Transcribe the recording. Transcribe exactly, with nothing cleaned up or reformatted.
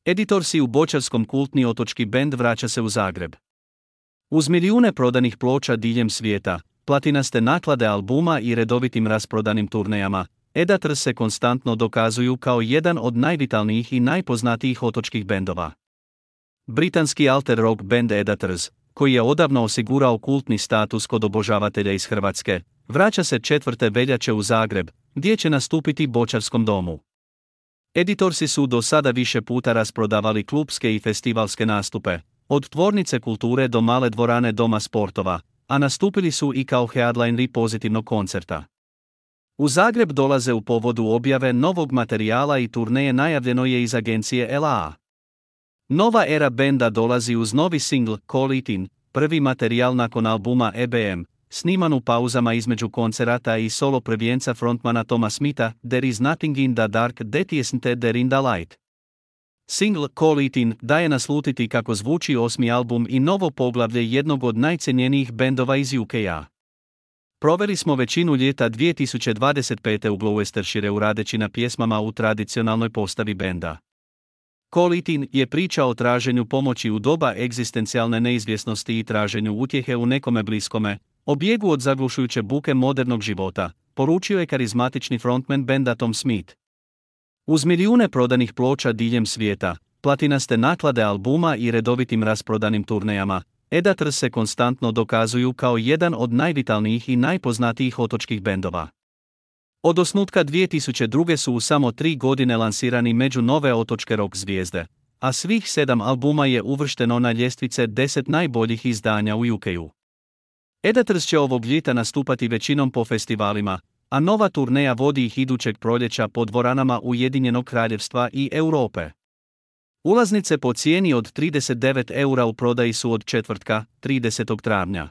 Editorsi u boćarskom kultni otočki bend vraća se u Zagreb. Uz milijune prodanih ploča diljem svijeta, platinaste naklade albuma i redovitim rasprodanim turnejama, Edatrs se konstantno dokazuju kao jedan od najvitalnijih i najpoznatijih otočkih bendova. Britanski alter rock bend Edatrs, koji je odavno osigurao kultni status kod obožavatelja iz Hrvatske, vraća se četvrte veljače u Zagreb, gdje će nastupiti Boćarskom domu. Editorsi su do sada više puta rasprodavali klupske i festivalske nastupe, od Tvornice kulture do male dvorane Doma sportova, a nastupili su i kao headlineri pozitivnog koncerta. U Zagreb dolaze u povodu objave novog materijala i turneje najavljeno je iz agencije L A A. Nova era benda dolazi uz novi singl Call It In, prvi materijal nakon albuma E B M, sniman u pauzama između koncerata i solo prvenca frontmana Toma Smitha, There is nothing in the dark that isn't there in the light. Singl Call It In daje naslutiti kako zvuči osmi album i novo poglavlje jednog od najcenjenijih bendova iz U K-a. Proveli smo većinu ljeta dvije tisuće dvadeset pete u Gloucestershireu radeći na pjesmama u tradicionalnoj postavi benda. Call It In je priča o traženju pomoći u doba egzistencijalne neizvjesnosti i traženju utjehe u nekome bliskome, o bijegu od zaglušujuće buke modernog života, poručio je karizmatični frontman benda Tom Smith. Uz milijune prodanih ploča diljem svijeta, platinaste naklade albuma i redovitim rasprodanim turnejama, Edatrs se konstantno dokazuju kao jedan od najvitalnijih i najpoznatijih otočkih bendova. Od osnutka dvije tisuće druge su u samo tri godine lansirani među nove otočke rock zvijezde, a svih sedam albuma je uvršteno na ljestvice deset najboljih izdanja u U K-u. Edatrs će ovog ljeta nastupati većinom po festivalima, a nova turneja vodi ih idućeg proljeća po dvoranama Ujedinjenog Kraljevstva i Europe. Ulaznice po cijeni od trideset devet eura u prodaji su od četvrtka, tridesetog travnja.